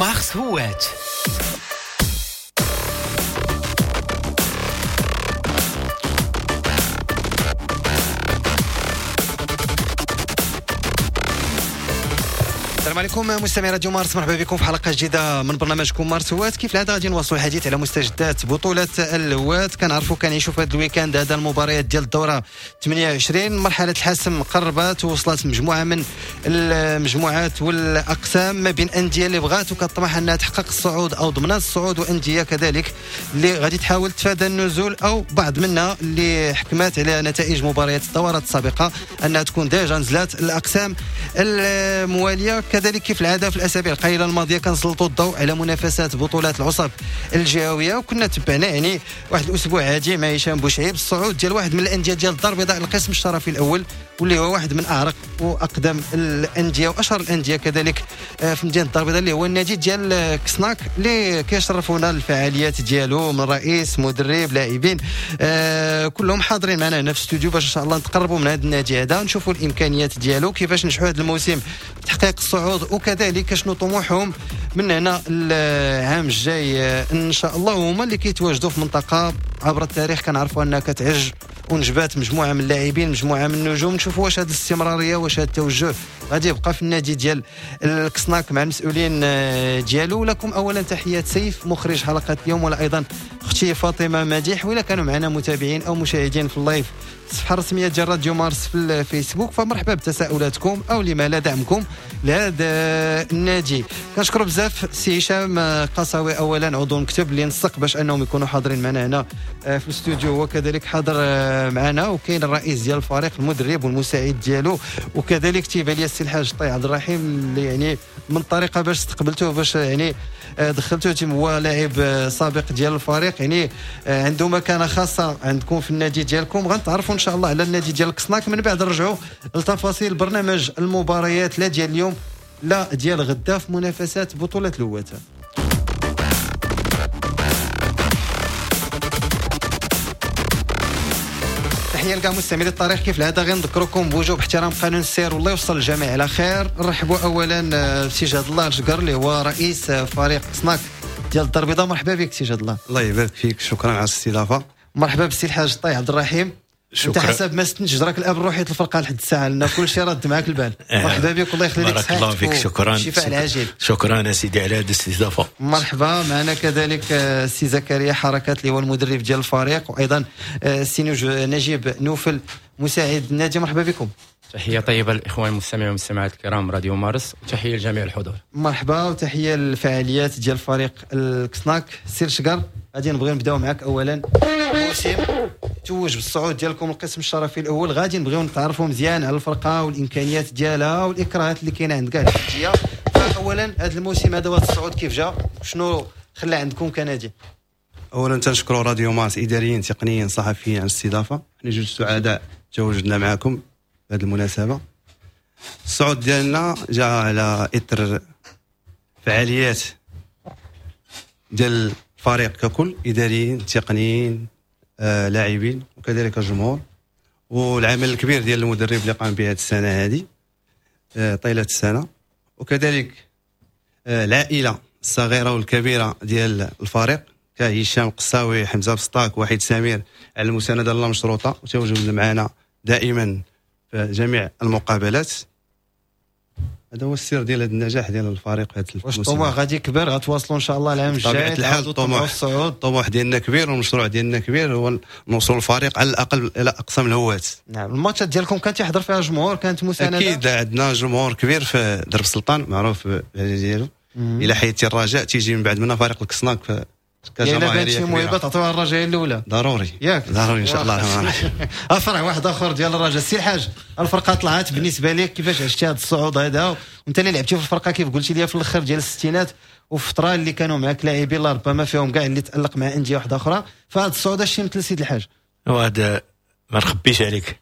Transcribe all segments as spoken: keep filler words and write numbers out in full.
مارس هوات. السلام عليكم مستمعي راديو مارس، مرحبا بكم في حلقة جديدة من برنامجكم مارس هوات. كيف العادة غادي نواصلوا الحديث على مستجدات بطوله الهوات. كنعرفوا كنعيشوا في هذا ال week-end هذا المباريات ديال الدورة ثمانية وعشرين، مرحلة الحسم قربت ووصلت مجموعة من المجموعات والاقسام ما بين اندية اللي بغات وكطمح انها تحقق الصعود او ضمنات الصعود، وانديه كذلك اللي غادي تحاول تفادى النزول، او بعض منها اللي حكمت على نتائج مباريات الدورات السابقة انها تكون déjà نزلت الاقسام الموالية. كذلك كيف العادة في الاسابيع القليلة الماضية كنسلطوا الضوء على منافسات بطولات العصب الجهوية، وكنا تبعنا يعني واحد الاسبوع عادي مع هشام بوشعيب الصعود ديال واحد من الاندية ديال الدار البيضاء القسم الشرفي الاول، واللي هو واحد من اعرق واقدم الاندية واشهر الاندية كذلك في مدينة الدار البيضاء، اللي هو النادي ديال كسناك اللي كيشرفونا الفعاليات ديالو من رئيس مدرب لاعبين آه كلهم حاضرين معنا هنا في الاستوديو باش ان شاء الله نتقربوا من هذا النادي هذا، نشوفوا الامكانيات ديالو كيفاش نجحوا هذا الموسم في تحقيق الصعود، وكذلك شنو طموحهم من هنا العام الجاي ان شاء الله. وهما اللي كيتواجدوا في منطقة عبر التاريخ كنعرفوا انها كتعج ونجبات مجموعة من اللاعبين مجموعة من النجوم. نشوفوا واش هذه الاستمرارية واش هذا التوجه غادي يبقى في النادي ديال الكسناك مع المسؤولين ديالو. لكم اولا تحيات سيف مخرج حلقة اليوم، ولا ايضا اختي فاطمة مديح، ولا كانوا معنا متابعين او مشاهدين في ال live الصفحة الرسمية ديال راديو مارس في الفيسبوك، فمرحبا بتساؤلاتكم او لما لا دعمكم لهذا النادي. كنشكر بزاف سي هشام قصاوي اولا عضو المكتب اللي نسق باش انهم يكونوا حاضرين معنا هنا في الاستوديو، وكذلك حاضر معنا وكاين الرئيس ديال الفريق المدرب والمساعد ديالو، وكذلك تيبان لي السي الحاج طي عبد الرحيم اللي يعني من الطريقة باش استقبلتوه باش يعني دخلتوه، هو لاعب سابق ديال الفريق يعني عنده مكانه خاصة عندكم في النادي ديالكم. غنتعرفوا ان شاء الله على النادي ديال الكسناك من بعد نرجعوا لتفاصيل برنامج المباريات لا ديال اليوم لا ديال غدا في منافسات بطوله الهواة. تحية لكاع مستمعي الطريق، كيف العادة غير نذكركم بوجوب احترام قانون السير والله يوصل الجميع على خير. نرحبوا اولا بسي جاد الله الشقر اللي هو رئيس فريق سناك ديال الدار البيضاء. مرحبا بك سي جاد الله. الله يبارك فيك، شكرا على الاستضافة. مرحبا بالسي الحاج طي عبد الرحيم. انت حسب ما استنتج راك الاب الروحي الفرقة لحد الساعة، لان كل شيء رد معاك البال. مرحبا بك والله يخلي لك صحتك. بارك الله فيك، شكرا. الشفاء العاجل. شكرا سيدي على هذه الاستضافة. مرحبا. معنا كذلك السي زكريا حركات اللي هو المدرب ديال الفريق، وايضا السي نجيب نوفل مساعد النادي. مرحبا بكم. تحية طيبة للاخوان المستمعين والمستمعات الكرام راديو مارس، وتحية لجميع الحضور. مرحبا وتحية للفعاليات ديال فريق الكسناك. سير شقر، غادي نبغي نبداو معك اولا. الموسم توج بالصعود ديالكم القسم الشرفي الاول، غادي نبغيو نتعرفوا مزيان على الفرقة والامكانيات ديالها والاكراهات اللي كاينه عند كاع الاندية. اولا هذا الموسم هذا وهذا الصعود كيف جا، شنو خلى عندكم كنادي؟ اولا تنشكروا راديو مارس اداريين تقنيين صحفيين على الاستضافة. حنا جوج سعداء تواجدنا معكم بهذه المناسبة. الصعود ديالنا جاء على اثر فعاليات ديال الفريق ككل، اداريين تقنيين آه، لاعبين وكذلك الجمهور، والعمل الكبير ديال المدرب اللي قام به هذه السنة هذه آه، طيلة السنة، وكذلك آه، العائلة الصغيرة والكبيرة ديال الفريق كهشام قصاوي، حمزة بسطاك، وحيد سمير على المساندة اللامشروطه وتواجد معنا دائما في جميع المقابلات. هذا هو السر ديال هذا النجاح ديال الفريق في هذا الموسم. واش الطموح غادي يكبر، غتواصلوا ان شاء الله العام الجاي؟ بطبيعة الحال الطموح الطموح ديالنا كبير والمشروع ديالنا كبير، هو نوصل الفريق على الاقل الى اقسام الهواة. نعم. الماتشات ديالكم كان تيحضر فيها جمهور، كانت مساندة؟ اكيد عندنا جمهور كبير في درب السلطان معروف ديالو. الى حياتي الرجاء تيجي من بعد منا فريق الكسناك كجماهيريه. يعني شي موهبة تعطيوها الرجاء الاولى ضروري، ياك ضروري ان شاء الله. افرح واحد اخر ديال الرجاء. السي الحاج، الفرقة طلعت بالنسبة لك كيفاش عشتي هذا الصعود هذا، وانت اللي لعبتي في الفرقة كيف قلتي لي في الاخر ديال الستينات، وفي فترة اللي كانوا معك لاعبين لا ربما فيهم كاع اللي تالق مع اندية واحدة اخرى، فهذا الصعود اش مثل سيد الحاج؟ وهذا ما نخبيش عليك،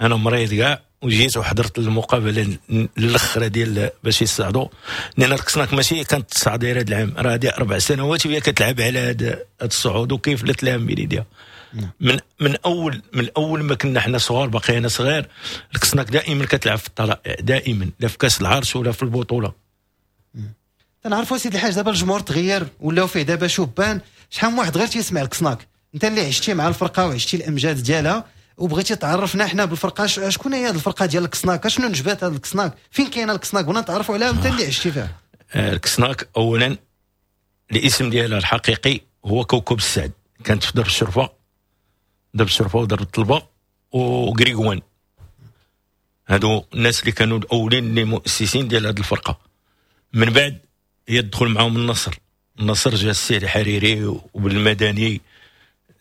انا مريض كاع وجيت وحضرت المقابلة الاخرى ديال باش يصعدوا، لان الكسناك ماشي كانت تصعد غير هذا العام، راه هذه اربع سنوات وهي كتلعب على هذا الصعود وكيف لا تلام بيديها. من من اول من اول ما كنا حنا صغار، باقي انا صغير، الكسناك دائما كتلعب في الطلائع، دائما لا في كاس العرش ولا في البطولة. تنعرفوا سيدي الحاج دابا الجمهور تغير، ولاو فيه دابا شبان، شحال من واحد غير تيسمع الكسناك. انت اللي عشتي مع الفرقة وعشتي الامجاد ديالها وبغيتي تعرفنا حنا بالفرقة، شكون هي هذه الفرقة ديال الكسناك؟ شنو نجبات هذا الكسناك؟ فين كاينه الكسناك؟ بغينا نتعرفوا عليها، انت اللي عشتي فيها. الكسناك اولا الاسم ديالها الحقيقي هو كوكب السعد، كانت في درب الشرفة، درب الشرفة ودرب الطلبة وكريغوان، هادو الناس اللي كانوا الاولين اللي مؤسسين ديال هذه الفرقة. من بعد يدخل معاهم النصر، النصر جا السي الحريري وبالمدني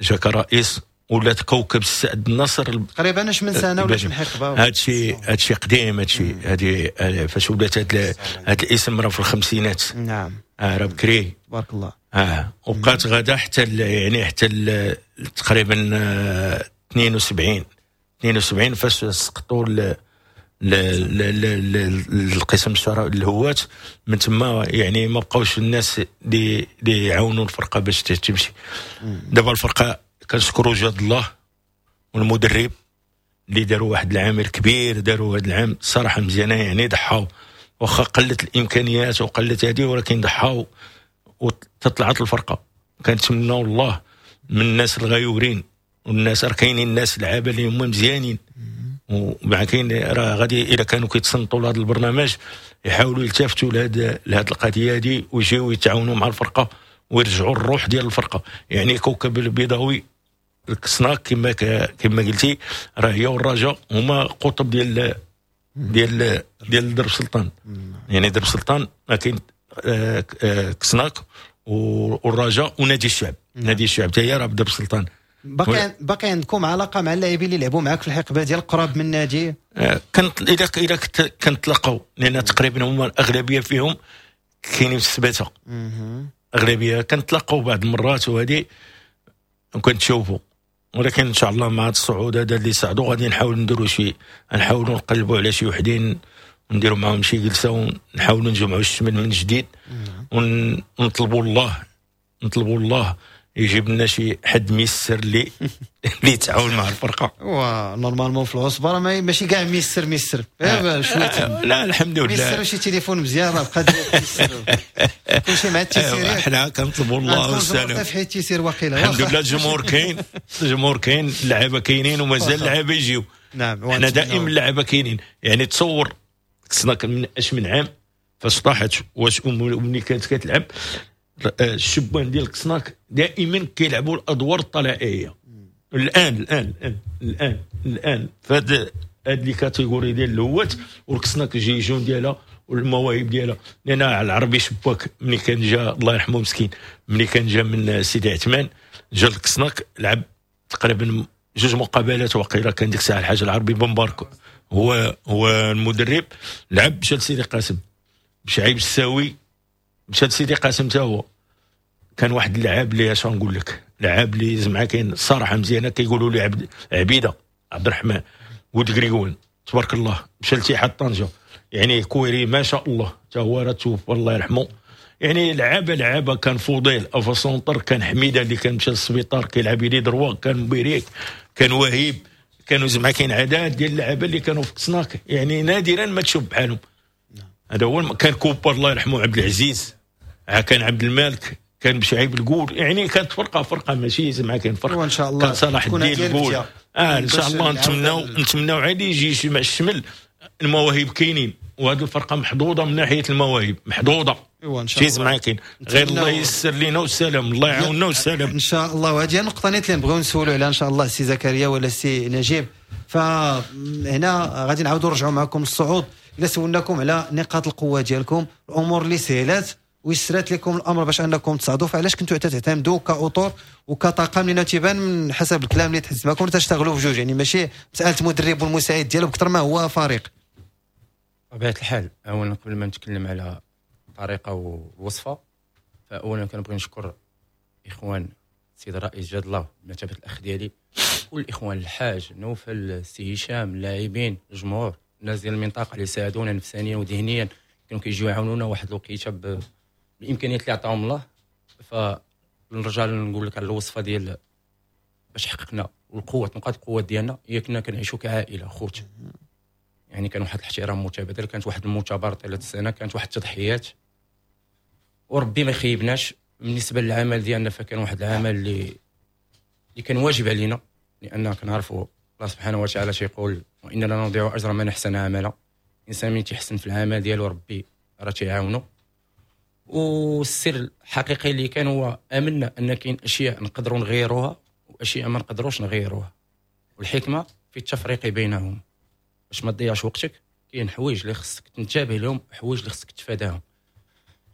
جا كرئيس، ولات كوكب السعد النصر. تقريبا اش من سنة ولا من حقبة؟ هادشي هادشي قديم، هادشي هادي فاش ولات هاد هاد الاسم راه في الخمسينات. نعم اه راه بكري تبارك الله. اه وبقات غادا حتى يعني حتى تقريبا اثنين وسبعين اثنين وسبعين فاش سقطوا القسم الهوات. من تما يعني ما بقاوش الناس اللي اللي يعاونوا الفرقة باش تمشي. دابا الفرقة كنشكروا جاد الله والمدرب اللي داروا واحد العامل كبير، داروا هذا العام صراحة مزيانه، يعني ضحاو واخا قلت الامكانيات وقلت هذه، ولكن ضحاو وتطلعت الفرقة. كنتمناو الله من الناس الغيورين والناس راه كاينين الناس لعابه اللي هما مزيانين، ومع كاين راه غادي الا كانوا كيتصنتوا لهذا البرنامج يحاولوا يلتفتوا لهذا لهذه القضية هذه ويجيو يتعاونوا مع الفرقة ويرجعوا الروح ديال الفرقة. يعني كوكب البيضاوي الكسناك كما كما قلتي راه هي والرجاء هما قطب ديال ديال ديال درب سلطان. يعني درب سلطان ما كاين كسناك والرجاء ونادي الشعب. نادي الشعب حتى هي راه بدرب سلطان. باقي باقي عندكم علاقة مع اللاعبين اللي لعبوا معاك في الحقبة ديال قراب من النادي؟ كنت الا الا كنتلاقاو، لان تقريبا هما الاغلبية فيهم كاينين في السباته، اغلبية كنتلاقاو بعض المرات وهذه وكنتشوفوا. ولكن ان شاء الله مع هذا الصعود هذا اللي صعدوا غادي نحاول نديروا شي، نحاولوا نقلبوا على شي وحدين ونديروا معاهم شي جلسه ونحاولوا نجمعوا الشمل من جديد، ونطلبوا الله نطلبوا الله يجيب لنا شي حد ميسر اللي اللي يتعاون مع الفرقة. و normalement في العصبة راه ماشي كاع ميسر ميسر شوية. لا الحمد لله ميسر شي تليفون مزيان راه بقى ميسر كلشي مع التيسير. حنا كنطلبوا الله والسلام في حيت التيسير واقيلا. الحمد لله الجمهور كاين، الجمهور كاين، اللعابه كاينين ومازال اللعابه يجيو. نعم حنا دائما اللعابه كاينين. يعني تصور خصنا من اش من عام فاش طاحت واش ملي كانت كتلعب الشبان ديال الكسناك دائما كيلعبوا الادوار الطلائعيه. الان الان الان الان الان فهاد هاد les catégories ديال الهوات والكسناك les jeunes ديالها والمواهب ديالها. لان العربي شباك ملي كان جا الله يرحمه مسكين، ملي كان جا من سيدي عثمان جا الكسناك لعب تقريبا جوج مقابلات وقيله، كان ديك الساعة الحاج العربي بن بارك هو هو المدرب، لعب مشى لسيدي قاسم، بشعيب الساوي مشى لسيدي قاسم حتى هو. كان واحد اللاعب اللي اش نقول لك، لاعب اللي زعما كاين الصراحة مزيانه، كيقولوا لي عبد عبيده عبد الرحمن ولد كريغوان تبارك الله، مشى لاتحاد طنجه، يعني كويري ما شاء الله حتى هو راه توفى الله يرحمه. يعني لعابه لعابه كان فضيل avant-centre، كان حميده اللي كان مشى للسبيطار كيلعب ailier droit، كان مبيريك، كان وهيب، كانوا زعما كاين عدد ديال اللعابه اللي كانوا في كسناك، يعني نادرا ما تشوف بحالهم. هذا هو. كان كوبر الله يرحمه عبد العزيز، كان عبد الملك، كان بشعيب القول، يعني كانت فرقه فرقه ماشي زعما كاين فرقه. وان شاء الله كان صلاح الدين القول. اه ان شاء الله نتمناو نتمناو عادي يجي مع الشمل. المواهب كاينين وهذه الفرقة محظوظة من ناحية المواهب، محظوظة ايوا ان شاء الله زعما كاين غير الله يسر لينا والسلام، الله يعاوننا والسلام ان شاء الله. وهذه النقطة نيت اللي نبغيو نسولوا عليها ان شاء الله السي زكريا ولا السي نجيب. فهنا غادي نعاودوا نرجعوا معكم الصعود. الا سولناكم على نقاط القوة ديالكم، الامور اللي سهلات ويسرات لكم الامر باش انكم تصعدوا، فعلاش كنتوا تعتمدوا كاطور وكطاقم؟ لان تيبان من حسب الكلام اللي تحس معكم تشتغلوا بجوج، يعني ماشي مسالة مدرب والمساعد ديالو بكثر ما هو فريق. بطبيعة الحال اولا قبل ما نتكلم على الطريقة والوصفه، فاولا كنبغي نشكر اخوان السيد الرئيس جاد الله بمثابة الاخ ديالي، كل الاخوان الحاج نوفل السي هشام، اللاعبين، الجمهور، الناس ديال المنطقة اللي ساعدونا نفسانيا وذهنيا، كانوا كيجيو يعاونونا واحد الوقيته بالامكانيات اللي عطاهم الله. فنرجع نقول لك على الوصفة ديال باش حققنا والقوه، نقاط القوة ديالنا هي كنا كنعيشوا كعائله خوت، يعني كان واحد الاحترام متبادل، كانت واحد المثابرة طيلة السنة، كانت واحد التضحيات. وربي ما يخيبناش. بالنسبة للعمل ديالنا فكان واحد العمل اللي اللي كان واجب علينا، لان كنعرفوا الله سبحانه وتعالى تيقول وإنا لا نضيع اجر من احسن عملا. الانسان ملي تيحسن في العمل ديالو ربي راه تيعاونو. والسر الحقيقي اللي كان هو امنا ان كاين اشياء نقدروا نغيروها واشياء ما نقدروش نغيروها، والحكمة في التفريق بينهم باش ما تضيعش وقتك. كاين حوايج اللي خصك تنتبه لهم وحوايج اللي خصك تتفاداهم.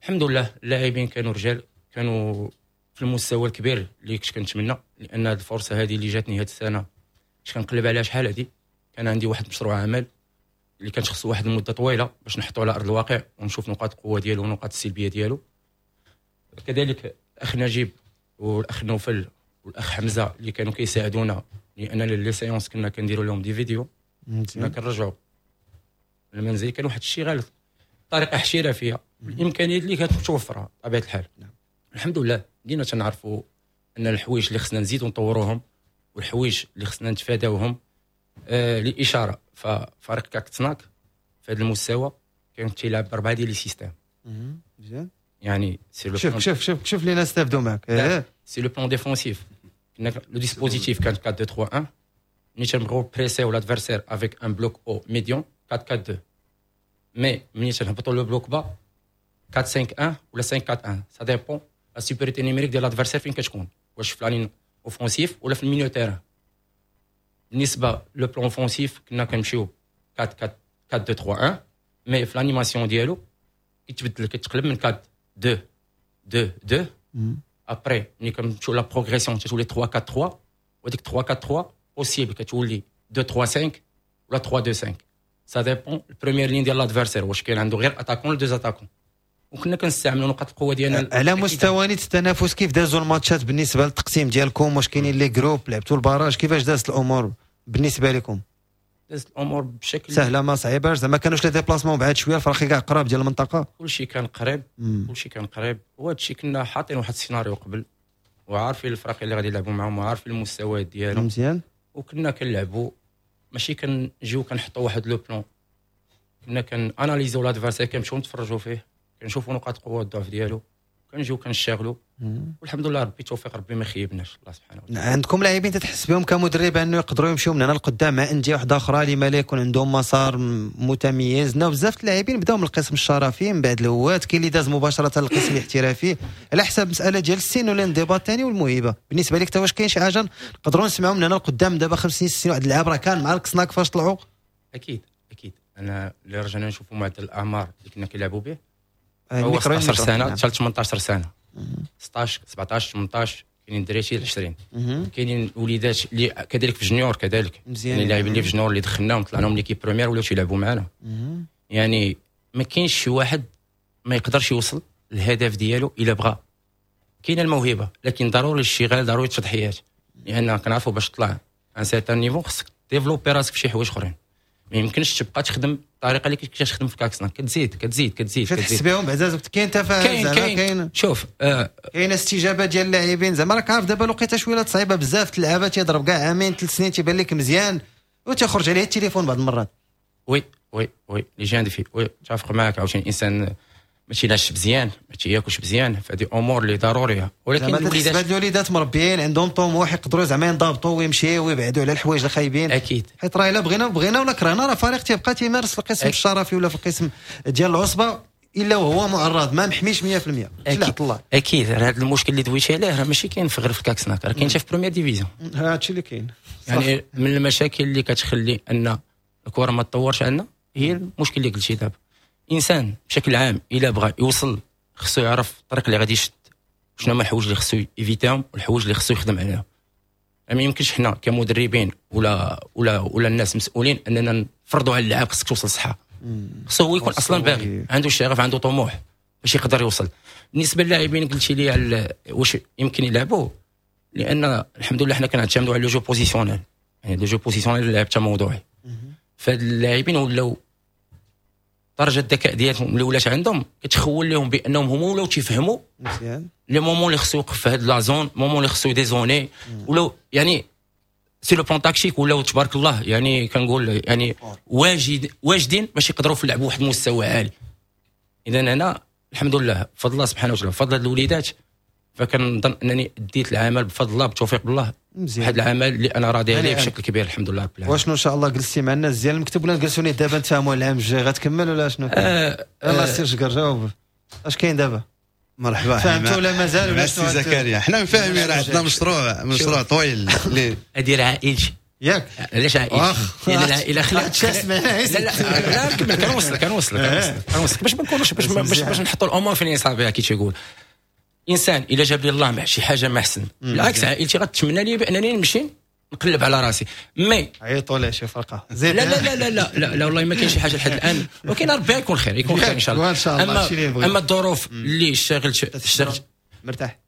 الحمد لله اللاعبين كانوا رجال، كانوا في المستوى الكبير اللي كنت كنتمنى، لان هذه الفرصة هذه اللي جاتني هذه السنة كنت كنقلب عليها شحال هذه. كان عندي واحد مشروع عمل اللي كان خصو واحد المدة طويلة باش نحطو على ارض الواقع ونشوف نقاط القوة ديالو ونقاط السلبية ديالو. كذلك الاخ نجيب والاخ نوفل والاخ حمزة اللي كانوا كيساعدونا، لان les séances كنا كنديروا لهم des vidéos، كنا كنرجعوا للمنزل. كان واحد الشيء طريقه احترافية بالامكانيات اللي كانت متوفرة بطبيعة الحال. نعم. الحمد لله بدينا تنعرفوا ان الحوايج اللي خصنا نزيدوا نطوروهم والحوايج اللي خصنا نتفاداوهم. آه للاشارة ففريق كاكتسناك في هذا المستوى كان تيلعب باربعة ديال les systèmes. مزيان. يعني c'est le شوف شوف شوف شوف اللي نستافدوا معاك. sur le plan défensif كنا le dispositif كان أربعة اثنين ثلاثة واحد، ملي تنبغيو presser l'adversaire avec un bloc haut médian أربعة أربعة اثنين، mais ملي تنهبطوا le bloc bas أربعة خمسة واحد ولا خمسة أربعة واحد، ça dépend la supériorité numérique ديال l'adversaire فين كتكون، واش في la ligne offensive ولا في ال milieu terrain. بالنسبة le plan offensif كنا كنمشيو أربعة أربعة اثنين ثلاثة واحد، mais في l'animation ديالو كيتبدل، كيتقلب من أربعة اثنين اثنين اثنين. après ملي كنمشيو la progression تتولي ثلاثة أربعة ثلاثة، وهاديك ثلاثة أربعة ثلاثة possible كتولي اثنين ثلاثة خمسة ولا ثلاثة اثنين خمسة، ça dépend ال première ligne ديال l'adversaire واش كاين عنده غير attaquant ولا deux attaquants. وكنا كنستعملوا نقاط القوة ديالنا على مستوى التنافس. كيف دازوا الماتشات بالنسبة للتقسيم ديالكم؟ واش كاينين les groupes؟ لعبتوا ال barrage؟ كيفاش دازت الامور بالنسبة لكم؟ دازت الامور بشكل سهلة ما صعيباش، زعما كانوش les déplacements بعاد شوية، الفرق كاع قراب ديال المنطقة، كلشي كان قريب، كلشي كان قريب. وهذا الشيء كنا حاطين واحد السيناريو قبل وعارفين الفرق اللي غادي يلعبوا معاهم وعارفين المستويات ديالهم مزيان، وكنا كنلعبوا ماشي كنجيو كنحطوا واحد le plan، كنا كن analyser و l'adversaire، كنمشيو نتفرجوا فيه، كنشوفوا نقاط القوة والضعف ديالو، كنجيو كنشتغلوا، والحمد لله ربي توفيق، ربي ما خيبناش الله سبحانه وتعالى. عندكم لاعبين تتحس بهم كمدرب انه يقدروا يمشيو من هنا لقدام مع اندية واحدة اخرى لما لا يكون عندهم مسار متميز؟ نا بزاف اللاعبين بداو من القسم الشرفي من بعد الهوات، كاين اللي داز مباشرة للقسم الاحترافي على حساب مسالة ديال السن والانضباط الثاني والموهبه. بالنسبة لك واش كاين شي حاجة نقدروا نسمعوا من هنا لقدام دابا خمس سنين ست سنين واحد اللاعب راه كان مع الكسناك فاش طلعوا؟ اكيد اكيد. انا اللي رجعنا نشوفوا معدل الاعمار اللي كنا كنلعبوا به هو ستة عشر سنة حتى ثمانية عشر سنة، ستة عشر سبعة عشر ثمانية عشر، كاينين دراري عشرين، كاينين وليدات اللي كذلك في junior، كذلك يعني اللاعبين اللي في junior اللي دخلناهم طلعناهم l'équipe première ولاو تيلعبوا معنا. يعني ما كاينش شي واحد ما يقدرش يوصل للهدف ديالو الا بغى. كاينه الموهبة لكن ضروري الاشتغال، ضروري التضحيات، لان كنعرفوا باش تطلع un certain niveau خصك développer راسك في شي حوايج اخرين. ما يمكنش تبقى تخدم الطريقة اللي كنت تخدم في كاكسنا، كتزيد كتزيد كتزيد كتحس بهم بعدا كاين تفاهم، زعما كاين شوف آه كاين استجابة ديال اللاعبين. زعما راك عارف دابا الوقيته شوية صعيبة بزاف، اللعابه تيضرب كاع عامين ثلاث سنين تيبان لك مزيان وتخرج عليه التليفون بعض المرات. oui oui oui les jeunes filles oui تفق معاك. عاوتاني الانسان ما تينعش مزيان، ما تياكلش مزيان، فهذه امور اللي ضرورية. ولكن الوليدات الوليدات مربيين عندهم طموح، يقدروا زعما ينضبطوا ويمشيوا ويبعدوا على الحوايج الخايبين. اكيد، حيت راه الا بغينا بغينا ولا كرهنا راه فريق تيبقى تيمارس في القسم الشرفي ولا في القسم ديال العصبة الا وهو معرض ما محميش مية في المية. اكيد الله اكيد. هذا المشكل اللي دويتي عليه راه ماشي كاين في غير في الكاكسناك، راه كاين حتى في première division. هادشي اللي كاين. يعني من المشاكل اللي كتخلي ان الكره ما تطورش عندنا هي المشكل اللي قلتي دابا. انسان بشكل عام الا بغى يوصل خصو يعرف الطريق اللي غادي يشد، شنو هما الحوايج اللي خصو éviter هم والحوايج اللي خصو يخدم عليهم. ما يمكنش حنا كمدربين ولا ولا ولا الناس مسؤولين اننا نفرضوا على اللاعب خصك توصل صحة. خصو هو يكون اصلا باغي، عنده شغف، عنده طموح باش يقدر يوصل. بالنسبة للاعبين قلتي لي على واش يمكن يلعبوا، لان الحمد لله حنا كنعتمدوا على le jeu positionnel، يعني le jeu positionnel اللعب تا موضوعي. فهاد اللاعبين ولاو درجه الذكاء ديالهم اللي ولات عندهم كتخول لهم بانهم هما ولاو تيفهموا مزيان les moments اللي خصو يوقف في هاد la zone، moment اللي خصو dézoner، ولاو يعني sur le plan tactique ولاو تبارك الله، يعني كنقول يعني واجد واجدين باش يقدروا يلعبوا واحد المستوى عالي. اذا انا الحمد لله بفضل الله سبحانه وتعالى بفضل هاد الوليدات، فكنظن انني ديت العمل بفضل الله بتوفيق الله، واحد العمل اللي انا راضي عليه بشكل كبير الحمد لله رب العالمين. واشنو ان شاء الله جلستي مع الناس ديال المكتب ولا نجلسوا دابا نتفاهموا العام الجاي غتكمل ولا شنو؟ آه يلاه آه سير شكر جاوب اش كاين دابا؟ مرحبا. فهمتوا ولا مازال ولا شنو؟ سي زكريا حنا مفاهمين، راه عندنا مشروع مشروع طويل اللي هذه راه عائلتي ياك. علاش عائلتي؟ لان العائلة خلات لا لا لا نكمل، كنوصلك كنوصلك كنوصلك باش ما نكونوش باش باش نحطوا الامور في نصابها. كي تيقول انسان الا جاب لي الله مع شي حاجة ما احسن، بالعكس عائلتي غتمنى لي بانني نمشي نقلب على راسي. mais عيطوا ليه شي فرقه زيد. لا لا لا لا لا لا والله ما كاين شي حاجة لحد الان، ولكن ربي يكون خير، يكون خير ان شاء الله. ان شاء الله. اما اما الظروف اللي اشتغلت اشتغلت مرتاح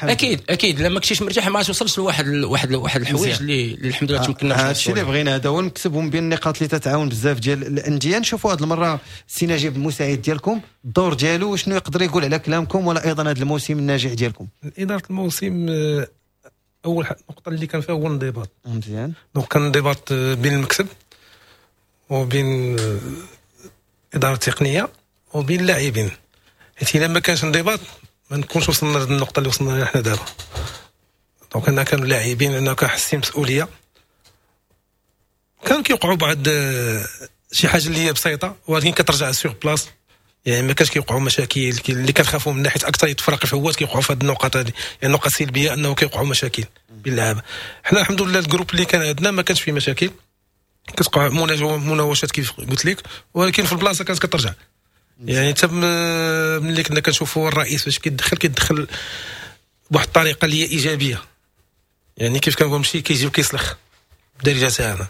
اكيد اكيد، لما كنتيش مرتاح ما توصلش لواحد واحد واحد الحوايج اللي الحمد لله تمكنا. هادشي اللي بغينا، هذا هو المكسب ومن بين النقاط اللي تتعاون بزاف ديال الاندية. نشوفوا هذه المرة السي نجيب المساعد ديالكم الدور ديالو وشنو يقدر يقول على كلامكم ولا ايضا هذا الموسم الناجح ديالكم. ادارة الموسم اول نقطة اللي كان فيها هو الانضباط. مزيان. donc كان انضباط بين المكتب وبين الادارة التقنية وبين اللاعبين، حيت الا ما كانش انضباط ما نكونش وصلنا للنقطة اللي وصلنا لها حنا دابا. donc انا كانوا اللاعبين انه كنحسين مسؤولية، كان كيوقعوا بعض شي حاجة اللي هي بسيطة ولكن كترجع sur place، يعني ما كانش كيوقعوا مشاكل اللي كنخافوا من ناحية اكثر الفرق الفوات كيوقعوا في هذه النقاط هذه، يعني النقطة السلبية انه كيوقعوا مشاكل بين اللعابه. حنا الحمد لله ال groupe اللي كان عندنا ما كانش فيه مشاكل، كتوقع مناوشات كيف قلت لك، ولكن في البلاصة كانت كترجع. يعني حتى ملي كنا كنشوفوا الرئيس فاش كيدخل كيدخل بواحد الطريقة اللي هي ايجابية، يعني كيف كنقول ماشي كيجي وكيسلخ بالدارجة تاعنا.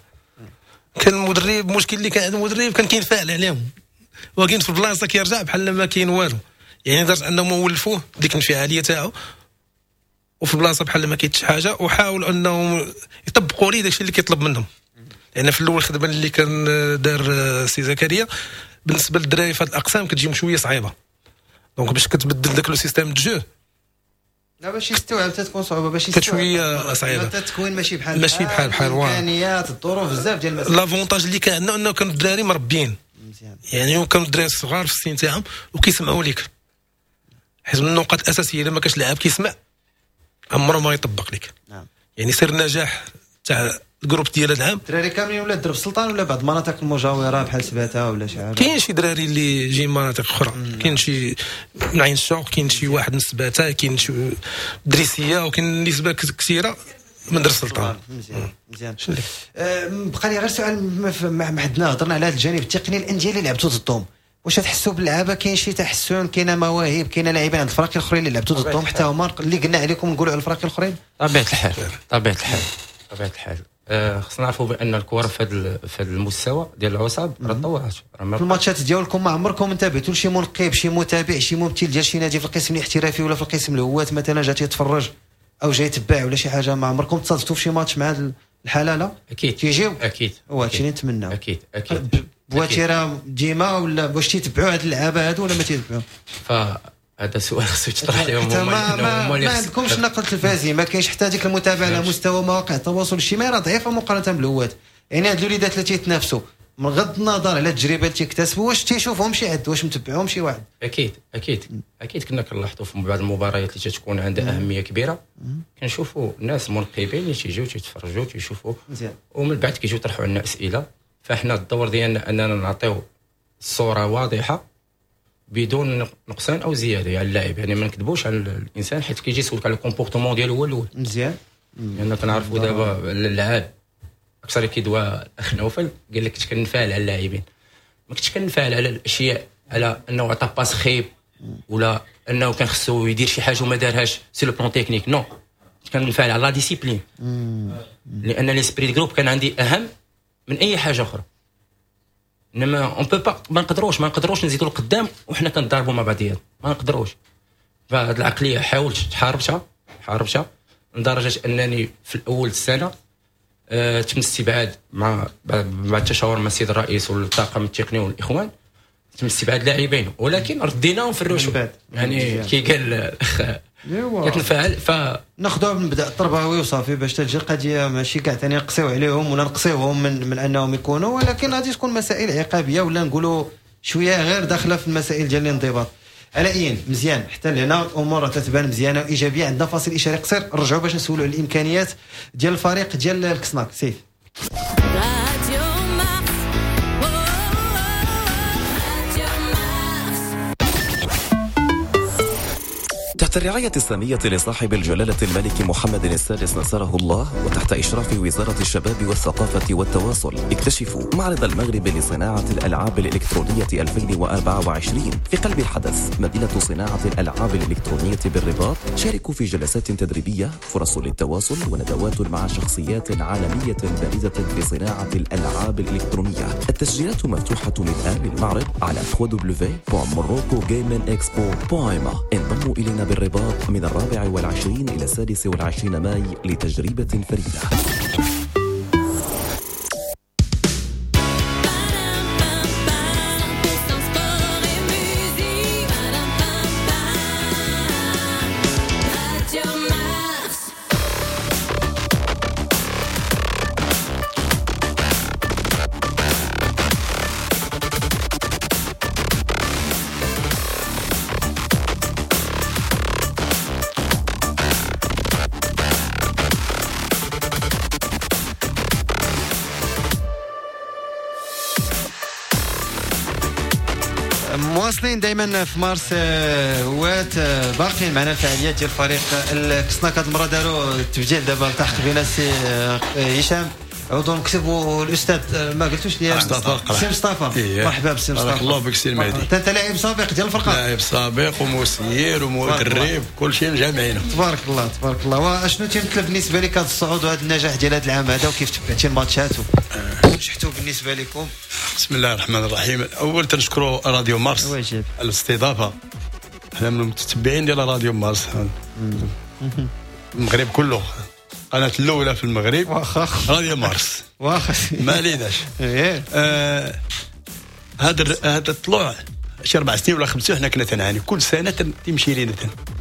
كان المدرب المشكل اللي كان عند المدرب كان كينفعل عليهم، ولكن في البلاصة كيرجع بحال ما كاين والو، يعني لدرجة انهم ولفوه ديك الانفعاليه تاعو، وفي البلاصة بحال ما كاينش حاجة، وحاولوا انهم يطبقوا ليه داكشي اللي كيطلب منهم. لان يعني في الاول الخدمة اللي كان دار سي زكريا بالنسبة للدراري في هاد الاقسام كتجيهم شوية صعيبة، donc باش كتبدل داك le système de jeu لا باش يستوعب تتكون صعوبة، باش يستوعب شوية صعيبة. التكوين ماشي بحال ماشي بحال بحال الامكانيات الظروف بزاف ديال المسائل. l'avantage اللي كان عندنا انه كانوا الدراري مربيين مزيان، يعني كانوا الدراري الصغار في السن تاعهم وكيسمعوا لك، حيت من النقاط الاساسية الا ما كانش لاعب كيسمع عمره ما يطبق لك. نعم. يعني سر النجاح تاع ال groupe ديال هذا العام الدراري كاملين ولا درب السلطان ولا بعض المناطق المجاورة بحال سباته ولا شي حاجة؟ كاين شي دراري اللي جاي من مناطق اخرى، كاين شي من عين الشوق، كاين شي واحد من سباته، كاين شي دريسيه، وكاين نسبه كثيرة من درب السلطان. مزيان مزيان. أه بقى لي غير سؤال ما حدنا هضرنا على هذا الجانب التقني، الاندية اللي لعبتوا ضدهم واش تحسوا باللعابه كاين شي تحسن، كاينه مواهب، كاينه لاعبين عند الفرق الاخرين اللي لعبتوا ضدهم حتى هما اللي قلنا عليكم نقولوا على الفرق الاخرين؟ طبيعة الحال طبيعة الحال طبيعة الحال خصنا نعرفوا بان الكره في هذا في المستوى ديال العصاب راه تطورات. في الماتشات ديالكم ما عمركم انتبهتوا لشي منقب، شي متابع، شي ممثل ديال شي نادي في القسم الاحترافي ولا في القسم الهواة مثلا جا تيتفرج او جاي يتبع ولا شي حاجة؟ ما عمركم تصادفتوا في شي ماتش مع هذه الحالة؟ لا اكيد تيجيو اكيد، هو هادشي اللي نتمناو. اكيد اكيد بواتيره ديما ولا واش تيتبعوا هاد اللعابه هادو ولا ما تيتبعوا؟ فهذا سؤال خصو يتطرح لهم هما. ما, ما, ما عندكمش نقل تلفازي، ما كاينش حتى هذيك المتابعة على مستوى مواقع التواصل الاجتماعي راه ضعيفة مقارنة بالهواة. يعني هاد الوليدات اللي تيتنافسوا من غض النظر على التجربة اللي تيكتسبوا واش تيشوفهم شي حد، واش متبعهم شي واحد؟ اكيد اكيد اكيد كنا كنلاحظوا في بعض المباريات اللي تتكون عندها اهمية كبيرة كنشوفوا ناس منقبين اللي تيجيو تيتفرجوا تيشوفوا، ومن بعد كيجيو يطرحوا لنا اسئلة. فاحنا الدور ديالنا اننا نعطيو الصورة واضحة بدون نقصان او زيادة يعني اللاعب، يعني ما نكذبوش على الانسان حيت كيجي يسولك على ال comportement ديالو هو الاول. مزيان، لان كنعرفوا دابا اللعاب اكثر كيدوى الاخ نوفل قال لك كنت كنفعل على اللاعبين، ما كنتش كنفعل على الاشياء، على انه عطى passe خايب ولا انه كان خصو يدير شي حاجة وما دارهاش sur le plan technique، non كنت كنفعل على la discipline، لان l'esprit groupe كان عندي اهم من اي حاجة اخرى. انما on peut pas، ما نقدروش ما نقدروش نزيدوا لقدام وحنا كنضاربوا مع بعضياتنا، ما نقدروش. فهاد العقلية حاولت تحاربتها حاربتها لدرجة انني في الاول السنة أه تم استبعاد مع مع التشاور مع السيد الرئيس والطاقم التقني والاخوان، تم استبعاد لاعبين ولكن رديناهم في الرشوة. يعني كي قال الاخ كتنفعل ف ناخذوها من مبدا التربوي وصافي باش تجي القضية ماشي كاع ثاني نقصيو عليهم ولا نقصيوهم من, من انهم يكونوا، ولكن غادي تكون مسائل عقابيه ولا نقولوا شوية غير داخله في المسائل ديال الانضباط. على اين مزيان حتى لهنا الامور تتبان مزيانه وايجابية. عندنا فاصل اشاري قصير، نرجعوا باش نسولوا على الامكانيات ديال الفريق ديال الكسناك. سيف تحت الرعاية السامية لصاحب الجلالة الملك محمد السادس نصره الله، وتحت إشراف وزارة الشباب والثقافة والتواصل، اكتشفوا معرض المغرب لصناعة الألعاب الإلكترونية ألفين وأربعة وعشرين في قلب الحدث، مدينة صناعة الألعاب الإلكترونية بالرباط. شاركوا في جلسات تدريبية، فرص للتواصل، وندوات مع شخصيات عالمية بارزة في صناعة الألعاب الإلكترونية. التسجيلات مفتوحة الآن للمعرض على دبليو دبليو دبليو دوت موروكو جيمنج إكسبو دوت إم إيه. انضموا إلينا بالرباط من الرابع والعشرين إلى السادس والعشرين ماي لتجربة فريدة. مواصلين دائما في مارس هوات، باقيين معنا الفعاليات ديال فريق الكسناك. هذه المرة داروا التبديل، دابا التحق بنا السي هشام عضو المكتب والاستاذ ما قلتوش لي مصطفى سي مصطفى. إيه. مرحبا بسي مصطفى، بارك الله بك سي المهدي. انت لاعب سابق ديال الفرقة؟ لاعب سابق ومسير ومدرب، كل شيء مجمعينه. تبارك الله تبارك الله. واشنو تيمثل بالنسبة لك هذا الصعود وهذا النجاح ديال هذا العام هذا، وكيف تبعتي الماتشات ونجحتوا بالنسبة لكم؟ بسم الله الرحمن الرحيم. اول تنشكروا راديو مارس على الاستضافة، حنا من المتتبعين ديال راديو مارس المغرب كله، قناة الأولى في المغرب واخا راديو مارس واخا ما عليناش. آه هذا هذا الطلوع شي أربع سنين ولا خمسة حنا كنا تنعاني كل سنة تمشي لينا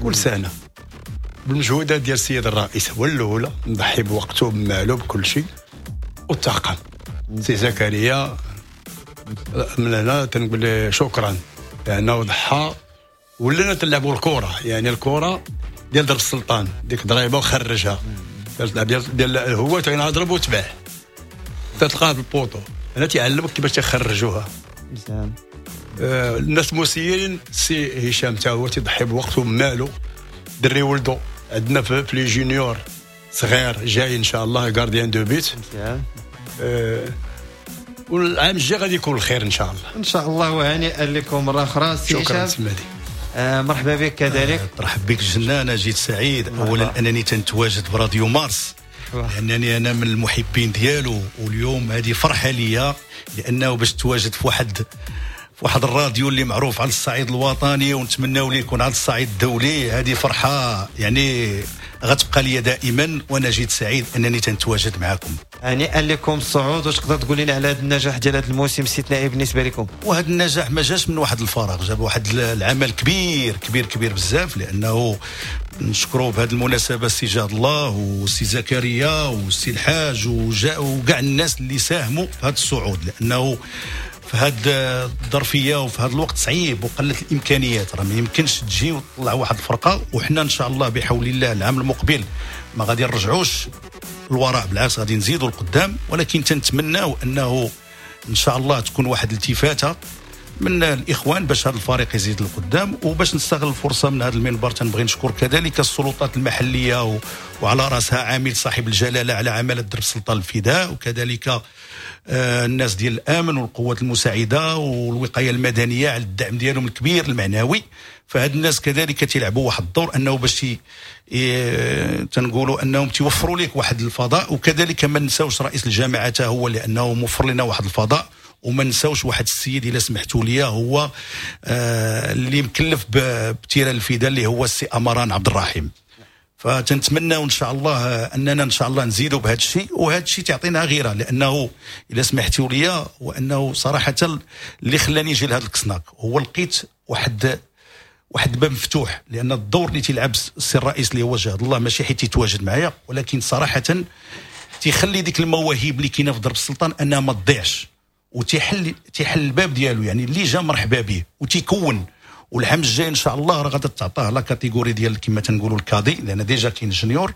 كل سنة بالمجهودات ديال السيد الرئيس هو الأولى، مضحي بوقته بماله بكل شيء، والطاقم سي زكريا من هنا تنقول له شكرا لأنه ضحى. ولينا تلعبوا الكرة، يعني الكرة ديال درب السلطان ديك ضريبة وخرجها ديال ديال هو تنضرب وتباع تتلقاها في ال poteau. انا تيعلمك كيفاش تخرجوها مزيان. آه الناس المسيرين سي هشام تا هو تيضحي بوقته وماله، دري ولده عندنا في les juniors صغير جاي ان شاء الله gardien de but مزيان. آه والعام الجاي غادي يكون الخير ان شاء الله. ان شاء الله. وهنيئا لكم مرة اخرى سي هشام. شكرا سي مهدي. آه مرحبا بك كذلك. ترحب بك جنة. انا جيت سعيد اولا انني تنتواجد براديو مارس لانني انا من المحبين ديالو، واليوم هذه فرحه ليا لانه باش تواجد في واحد في واحد الراديو اللي معروف على الصعيد الوطني ونتمناو ليه يكون على الصعيد الدولي، هذه فرحه يعني غتبقى لي دائما، وانا جيت سعيد انني تنتواجد معكم. هنيئا لكم الصعود. واش تقدر تقول لنا على هذا النجاح ديال هذا الموسم الاستثنائي بالنسبة لكم؟ وهذا النجاح ما جاش من واحد الفراغ، جاب واحد العمل كبير كبير كبير بزاف، لانه نشكروا بهذه المناسبة السي جاد الله والسي زكريا والسي الحاج وكاع الناس اللي ساهموا في هذا الصعود، لانه في هذه الظرفية وفي هذا الوقت صعيب وقلة الامكانيات، راه ما يمكنش تجي وتطلع واحد الفرقة. وحنا ان شاء الله بحول الله العام المقبل ما غادي نرجعوش الوراء، بالعكس غادي نزيدوا القدام، ولكن تنتمناو انه ان شاء الله تكون واحد الالتفاته من الاخوان باش هذا الفريق يزيد للقدام. وباش نستغل الفرصة من هذا المنبر تنبغي نشكر كذلك السلطات المحلية و... وعلى راسها عامل صاحب الجلاله على عماله درب السلطان الفداء، وكذلك آه الناس ديال الامن والقوات المساعدة والوقاية المدنية على الدعم ديالهم الكبير المعنوي. فهاد الناس كذلك تيلعبوا واحد الدور انه باش ي... تنقولوا انهم تيوفروا لك واحد الفضاء. وكذلك ما نساوش رئيس الجامعة حتى هو لانه موفر لنا واحد الفضاء، وما نساوش واحد السيد الا سمحتوا لي هو آه اللي مكلف ب terrain الفداء اللي هو السي امران عبد الرحيم. فتنتمنى ان شاء الله اننا ان شاء الله نزيدوا بهذا الشيء، وهذا الشيء تعطينا غيره، لانه الا سمحتوا لي وانه صراحة اللي خلاني نجي لهذا الكسناك هو لقيت واحد واحد باب مفتوح، لان الدور اللي تيلعب السي الرئيس اللي هو جهد الله ماشي حيت يتواجد معايا، ولكن صراحة تيخلي ديك المواهب اللي كاينه في درب السلطان انها ما تضيعش. وتيحل تيحل الباب ديالو، يعني اللي جا مرحبا به وتيكون. والعام الجاي ان شاء الله راه غادا تعطاه la catégorie ديال كما تنقولوا ال cadets، لان déjà كاين junior،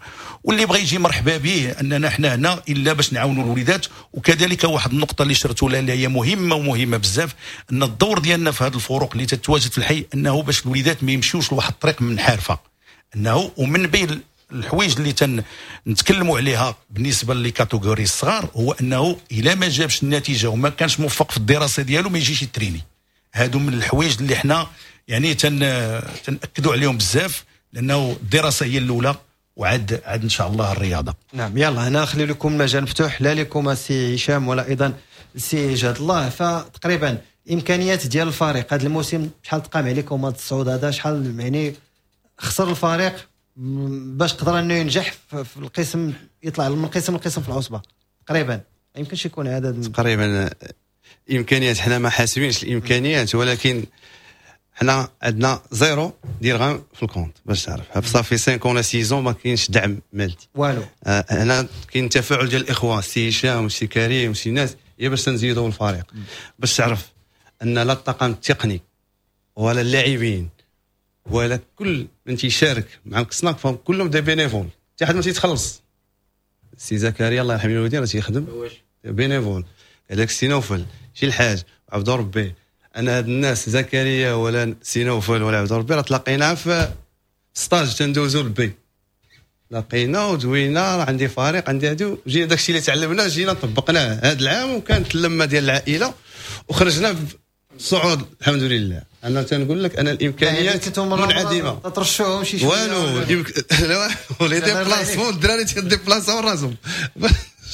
واللي بغى يجي مرحبا به، اننا حنا هنا الا باش نعاونوا الوليدات. وكذلك واحد النقطة اللي شرتوا لها اللي هي مهمة ومهمة بزاف، ان الدور ديالنا في هذه الفروق اللي تتواجد في الحي انه باش الوليدات ما يمشيوش لواحد الطريق منحرفة، انه ومن بين الحوايج اللي تنتكلموا عليها بالنسبة les catégories الصغار هو انه الا ما جابش النتيجة وما كانش موفق في الدراسة ديالو ما يجيش يتريني. هادو من الحوايج اللي حنا يعني تن تنأكدوا عليهم بزاف، لانه الدراسة هي الاولى وعاد عاد ان شاء الله الرياضة. نعم، يلا هنا نخلي لكم المجال مفتوح لا لكم سي هشام ولا ايضا سي جاد الله. فتقريبا امكانيات ديال الفريق هذا الموسم شحال تقام عليكم هذا الصعود هذا؟ شحال يعني خسر الفريق باش قدر انه ينجح في القسم، يطلع من قسم لقسم في العصبة تقريبا؟ ما يمكنش يكون هذا تقريبا امكانيات، حنا ما حاسبينش الامكانيات، ولكن حنا عندنا zéro درهم في ال compte باش تعرف، صافي خمسة ولا ستة ما كاينش دعم مالي والو. آه هنا كاين تفاعل ديال الاخوة السي هشام والسي كريم والسي ناس، هي باش تنزيدوا الفريق، باش تعرف ان لا الطاقم التقني ولا اللاعبين ولا كل من تيشارك مع الكسناك فهم كلهم des bénévoles، حتى حد ما تيتخلص. السي زكريا الله يرحم الوالدين راه تيخدم bénévole، هذاك السي نوفل شي الحاج عبد ربي. انا هاد الناس زكريا ولا سي نوفل ولا عبد ربي راه تلاقينا في stage تندوزو ال B، لقينا ودوينا، راه عندي فريق عندي هادو، جينا داكشي اللي تعلمناه جينا طبقناه هاد العام، وكانت اللمة ديال العائلة وخرجنا صعود الحمد لله. انا تنقول لك انا الامكانيات منعدمة، ترشوهم شي شوية والو، les déplacements الدراري تيديبلاساو راسهم باش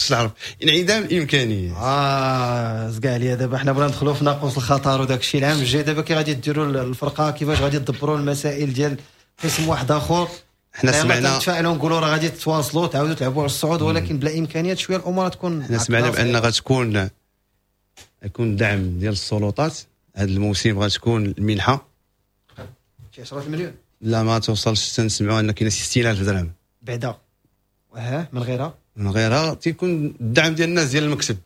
تعرف انعدام الامكانيات. اه زكا عليا دابا حنا بغينا ندخلوا في ناقوس الخطر وداك الشيء. العام الجاي دابا كي غادي ديروا الفرقة، كيفاش غادي تدبروا المسائل ديال قسم واحد اخر؟ حنا سمعنا نتفائلوا نقولوا راه غادي تواصلوا تعاودوا تلعبوا على الصعود، ولكن بلا امكانيات شوية الامور تكون. حنا سمعنا بان غتكون يكون دعم ديال السلطات هذا الموسم، غتكون المنحة شي عشرة المليون، لا ما توصلش، تنسمعوا ان كاينه ستين ألف درهم بعدا. واه من غيرها من غيرها تيكون الدعم ديال الناس ديال المكتب.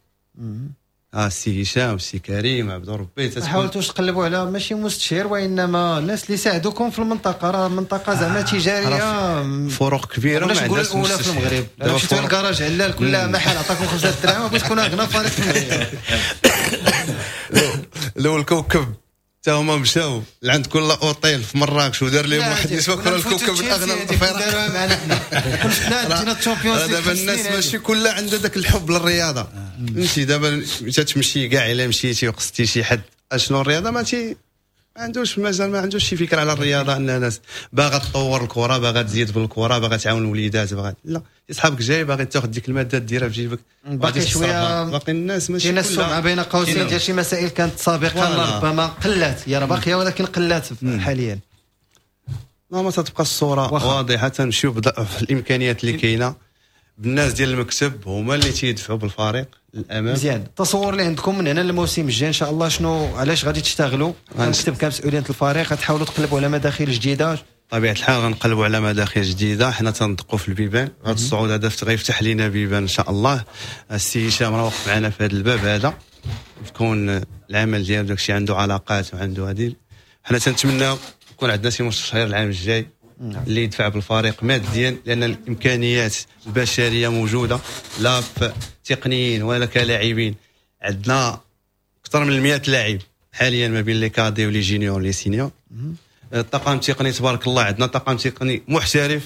اه السي هشام السي كريم عبد ربي، حاولتوش تقلبوا على ماشي مستشير وانما الناس اللي ساعدوكم في المنطقة؟ راه منطقة زعما تجارية، فروق كبيرة ما عندناش الاولى في المغرب. مشيتوا للكراج علال كل محل عطاكم خمسة دراهم باش تكونوا اغنى فريق في المغرب. لو الكوكب حتى هما مشاو لعند كل اوتيل في مراكش ودار لهم واحد النسبة كل الكوكب الاغنى الفرق. دابا الناس ماشي كلها عندها داك الحب للرياضة، فهمتي؟ دابا تمشي كاع الا مشيتي وقصتي شي حد اشنو الرياضة ما تي ما عندوش، مازال ما عندوش شي فكرة على الرياضة، ان الناس باغا تطور الكره، باغا تزيد في الكره، باغا تعاون الوليدات، باغا لا صحابك جاي باغي تاخذ ديك المادة ديرها في جيبك. باقي شوية باقي الناس ماشي كاين السمعة بين قوسين ديال شي مسائل كانت سابقا ربما قلات، هي راه باقية ولكن قلات حاليا. لا ما تتبقى الصورة واضحة، تنمشيو في الامكانيات اللي كاينه بالناس ديال المكتب هما اللي تيدفعوا بالفريق للامام. مزيان. التصور اللي عندكم من هنا للموسم الجاي ان شاء الله شنو، علاش غادي تشتغلوا كمكتب كمسؤولين الفريق؟ غتحاولوا تقلبوا على مداخل جديدة؟ طبيعة الحال غنقلبوا على مداخل جديدة. حنا تندقوا في البيبان، هذا الصعود هذا غيفتح لينا بيبان ان شاء الله. السي هشام راه وقف معنا في هذا الباب هذا، تكون العمل ديالو داكشي عنده علاقات وعنده هذه. حنا تنتمناو يكون عندنا شي مستشار العام الجاي اللي يدفع بالفريق ماديا، لان الامكانيات البشرية موجودة لا تقنيين ولا كلاعبين. عندنا اكثر من مئة لاعب حاليا ما بين les cadets و les juniors les seniors. الطاقم التقني تبارك الله عندنا طاقم تقني محترف.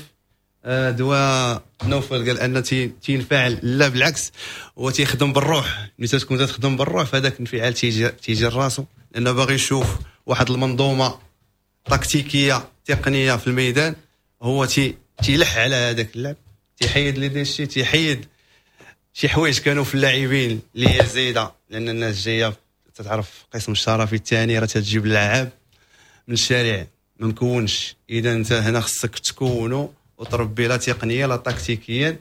دوا نوفل قال ان تينفعل، لا بالعكس هو تيخدم بالروح. ملي تكون تخدم بالروح فهذاك الانفعال تيجي تيجي لراسو، لانه باغي يشوف واحد المنظومة تكتيكية تقنية في الميدان، هو تي تيلح على هذاك اللعب، تيحيد les déchets، تيحيد شي حوايج كانوا في اللاعبين اللي هي زايدة، لان الناس جاية تتعرف قسم الشرفي الثاني راه تجيب اللاعب من الشارع ما مكونش. اذا انت هنا خصك تكونو وتربي لا تقنية لا تكتيكيا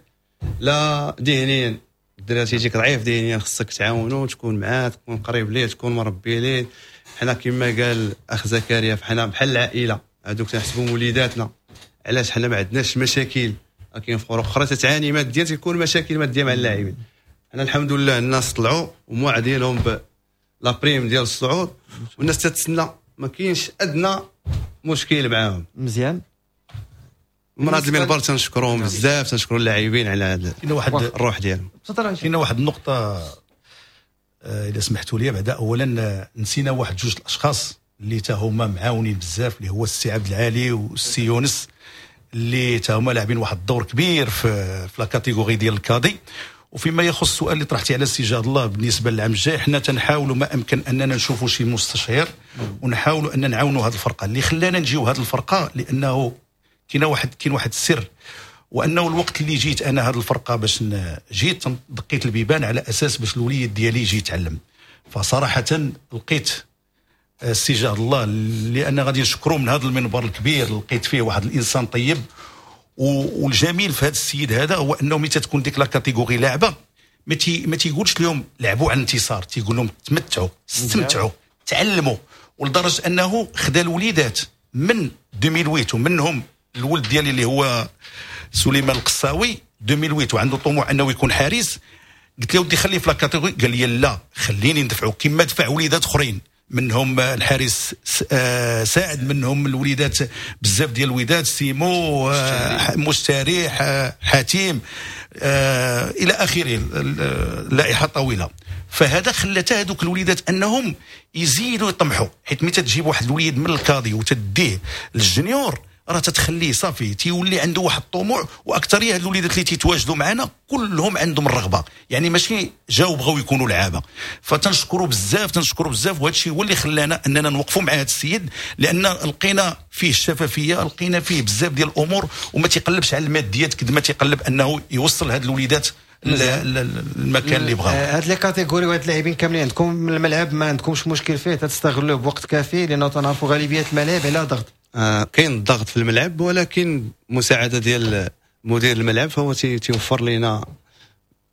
لا ذهنيا. الدراري تيجيك ضعيف ذهنيا خصك تعاونو، تكون معاه، تكون قريب ليه، تكون مربي ليه. حنا كما قال اخ زكريا فحنا بحال العائلة، هذوك تنحسبهم وليداتنا. علاش حنا ما عندناش مشاكل؟ كاين فرق اخرى تتعاني ماديا، تيكون مشاكل مادية مع اللاعبين. حنا الحمد لله الناس طلعوا وموعدين لهم la prime ديال الصعود، والناس تتسنى، ما كاينش ادنى مشكل معاهم. مزيان. من هذا المنبر تنشكرهم بزاف، تنشكروا اللاعبين على هذا واحد الروح ديالهم. كاين واحد النقطة اذا سمحتوا لي بعدا، اولا نسينا واحد جوج الاشخاص اللي تا هما معاونين بزاف، اللي هو السي عبد العالي والسي يونس، اللي تا هما لاعبين واحد الدور كبير في في la catégorie ديال ال cadets. وفيما يخص السؤال اللي طرحتي على السي جاد الله بالنسبة للعام الجاي، حنا تنحاولوا ما امكن اننا نشوفوا شي مستشير ونحاولوا ان نعاونوا هذه الفرقة. اللي خلانا نجيو هذه الفرقة لانه كاين واحد كاين واحد السر، وانه الوقت اللي جيت انا هذه الفرقة باش جيت دقيت البيبان على اساس باش الوليد ديالي يجي يتعلم. فصراحة لقيت السي جاد الله، لان غادي نشكرو من هذا المنبر الكبير، لقيت فيه واحد الانسان طيب. والجميل في هذا السيد هذا هو انه ملي تتكون ديك la catégorie لاعبه ما تي ما تيقولش لهم لعبوا على الانتصار، تيقول لهم تمتعوا، استمتعوا، تعلموا. ولدرجه انه خدا الوليدات من ألفين وثمانية، ومنهم الولد ديالي اللي هو سليمان القصاوي ألفين وثمانية، وعنده طموح انه يكون حارس. قلت له ودي خليه في la catégorie، قال لي لا خليني ندفعو كما دفع وليدات اخرين، منهم الحارس ساعد، منهم الوليدات بزاف ديال الوليدات، سيمو، مستريح، حاتم، الى اخره، اللائحة طويلة. فهذا خلى حتى هذوك الوليدات انهم يزيدوا يطمحوا، حيت ملي تجيب واحد الوليد من ال cadet وتديه لل junior راه تتخليه صافي تيولي عنده واحد الطموح. واكثريه هاد الوليدات اللي تيتواجدوا معنا كلهم عندهم الرغبة، يعني ماشي جاو بغاو يكونوا لعابه. فتنشكروا بزاف، تنشكروا بزاف. وهذا الشيء هو اللي خلانا اننا نوقفوا مع هذا السيد، لان لقينا فيه الشفافية، لقينا فيه بزاف ديال الامور، وما تيقلبش على الماديات قد ما تيقلب انه يوصل هاد الوليدات المكان اللي بغاو. هاد les catégories وهاد اللاعبين كاملين عندكم من الملعب ما عندكمش مشكل فيه، تستغلوه بوقت كافي، لانه تنعرفوا غالبية الملاعب على ضغط. آه كاين الضغط في الملعب، ولكن مساعدة ديال مدير الملعب فهو تيوفر لنا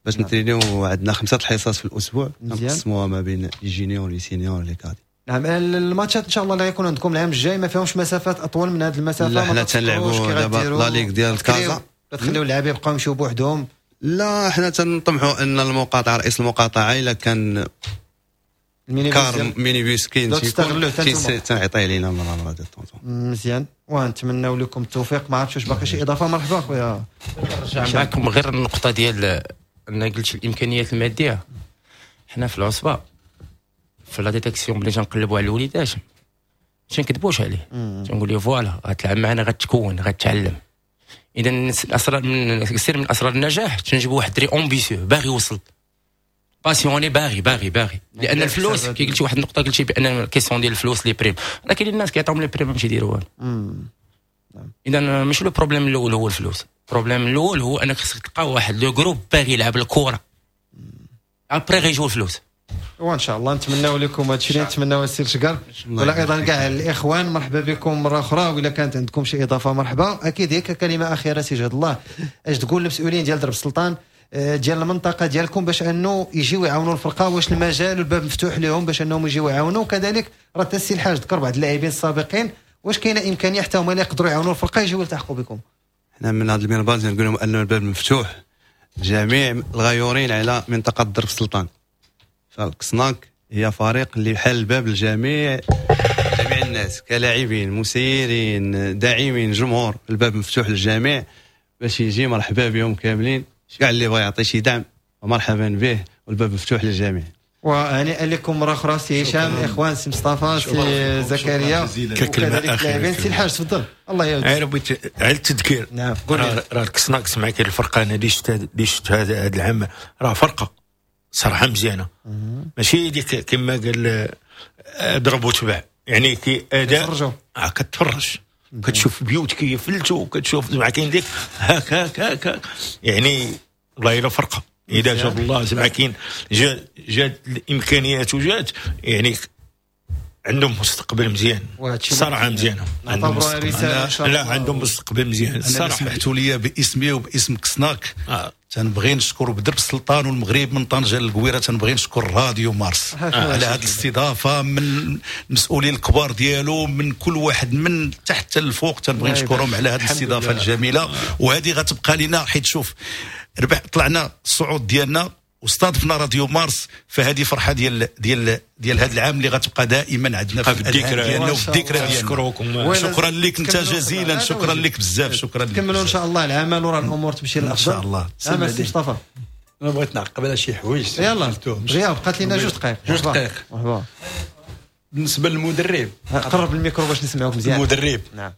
باش نترينيو. عندنا خمسة الحصص في الاسبوع نقسموها ما بين les juniors، les seniors، les cadets. نعم. الماتشات ان شاء الله اللي غيكون عندكم العام الجاي ما فيهمش مسافات اطول من هذه المسافة؟ لا، حنا تنلعبوا دابا la ligue ديال كازا، تخليو اللعابه يبقاو يمشيو بوحدهم؟ لا، حنا تنطمحوا ان المقاطعة، رئيس المقاطعة الا كان car minibus كاين تنعطيه لينا مرة مرة. مزيان، ونتمناو لكم التوفيق. ما عرفتش واش باقي شي اضافه؟ مرحبا خويا. نرجع معكم غير النقطة ديال ان قلت الامكانيات المادية. حنا في العصبة في la détection ملي تنقلبوا على الوليدات ما تنكذبوش عليه، تنقول له voilà غتلعب معنا، غتكون، غتعلم. اذا الاسرار من سر من اسرار النجاح تنجيبوا واحد دري ambitieux باغي يوصل، passionné، باغي باغي باغي. لان الفلوس كي قلتي واحد النقطة، قلتي بان question ديال الفلوس les primes، راه كاين الناس كيعطيهم les primes باش يديروا والو. اذا ماشي le problème الاول هو الفلوس، ال problème الاول هو انك خصك تلقى واحد le groupe باغي يلعب الكره، après غيجيو الفلوس. وان شاء الله نتمناو لكم هادشي اللي نتمناو السي الشكر، ولا ايضا كاع الاخوان مرحبا بكم مرة اخرى، ولا كانت عندكم شي اضافه مرحبا. اكيد هيك كلمة اخيرة سي جاد الله، اش تقول للمسؤولين ديال درب السلطان ديال المنطقة ديالكم باش انه يجيو يعاونوا الفرقة؟ واش المجال والباب مفتوح لهم باش انهم يجيو يعاونوا؟ وكذلك راه حتى السي الحاج ذكر بعض اللاعبين السابقين، واش كاينه امكانية حتى هما اللي يقدروا يعاونوا الفرقة يجيو يلتحقوا بكم؟ حنا من هذا المنبر نقول لهم ان الباب مفتوح جميع الغيورين على منطقة درب السلطان. فالكسناك هي فريق اللي حل الباب لجميع جميع الناس، كلاعبين، مسيرين، داعمين، جمهور. الباب مفتوح للجميع باش يجي، مرحبا بهم كاملين. كاع اللي بغى يعطي شي دعم مرحبا به، والباب مفتوح للجميع. وهنيئا لكم مرة اخرى سي هشام، اخوان سي مصطفى، سي زكريا، وكذلك اللاعبين. سي الحاج تفضل. الله يعاونك. غير بغيت على التذكير. نعم راه الكسناكس معك الفرقة انا اللي شفت اللي شفت هذا العام راه فرقه صراحة مزيانه، ماشي ديك كما قال ضرب وتبع، يعني كي اداء آه كتفرج، كتشوف بيوت كيفلتوا، كتشوف زعما كاين ديك هاك هاك هاك، يعني والله الا فرقه. اذا جاب الله زعما كاين جات جات الامكانيات وجات، يعني عندهم مستقبل مزيان صراحة مزيانه، عندهم مستقبل. لا عندهم مستقبل مزيان الصراحة. سمحتوا لي باسمي وباسم كسناك آه. تنبغي نشكر بدرب السلطان والمغرب من طنجه للقويره، تنبغي نشكر راديو مارس آه. على هذه الاستضافة، من المسؤولين الكبار ديالو، من كل واحد من تحت للفوق، تنبغي نشكرهم على هذه الاستضافة الجميلة. وهذه غتبقى لنا، حيت شوف ربح طلعنا الصعود ديالنا واستضفنا راديو مارس، فهذه فرحه ديال ديال ديال هذا العام اللي غتبقى دائما عندنا في الذكرى ديالنا وفي الذكرى ديالنا. نشكركم، شكرا لك انت جزيلا، شكرا لك بزاف، شكرا لك. كملوا ان شاء الله العمل وراه الامور تمشي للافضل ان شاء الله. سي مصطفى انا بغيت نعقب على شي حوايج. يلا غياب بقات لنا جوج دقائق. جوج دقائق. مرحبا. بالنسبة للمدرب، قرب الميكرو باش نسمعوك مزيان. المدرب، نعم،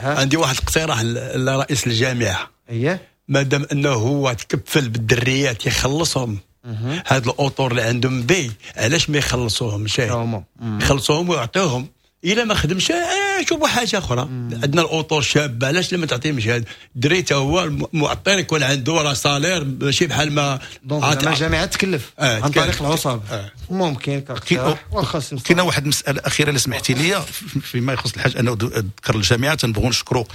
عندي واحد الاقتراح لرئيس الجامعة. اييه، مادام انه هو تكفل بالدريات يخلصهم، هاد الاطور اللي عندهم بي علاش ما يخلصوهمش؟ يخلصوهم ويعطيوهم، الا ما خدمش آه شوفوا حاجة اخرى. عندنا الاطور شابه، علاش لما تعطيهمش هذا الدري تا هو المعطر يكون عنده راه salaire ماشي بحال ما donc الجامعة تكلف آه عن طريق العصب آه. ممكن كاقتراح. واخا كاينه واحد المسالة اخيرة اللي سمحتي لي فيما يخص الحاج، انا ذكر الجامعة تنبغوا نشكروا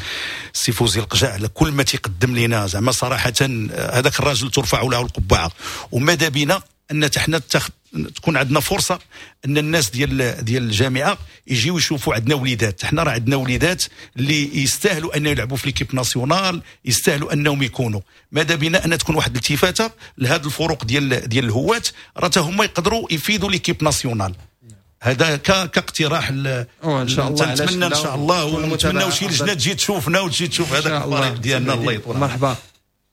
السي فوزي القجاع على كل ما تيقدم لنا، زعما صراحة هذاك الراجل ترفع له القبعة، وماذا بنا ان حنا تكون عندنا فرصة ان الناس ديال ديال الجامعة يجيو يشوفوا عندنا وليدات. حنا راه عندنا وليدات اللي يستاهلوا ان يلعبوا في l'équipe nationale، يستاهلوا انهم يكونوا. ماذا بنا ان تكون واحد الالتفاته لهاد الفروق ديال ديال الهواة، راه حتى هما يقدروا يفيدوا l'équipe nationale. هذا كاقتراح ان شاء الله، نتمنى ان شاء الله، ونتمناو شي لجنة تجي تشوفنا وتجي تشوف هذاك الفريق ديالنا. الله يطول. مرحبا.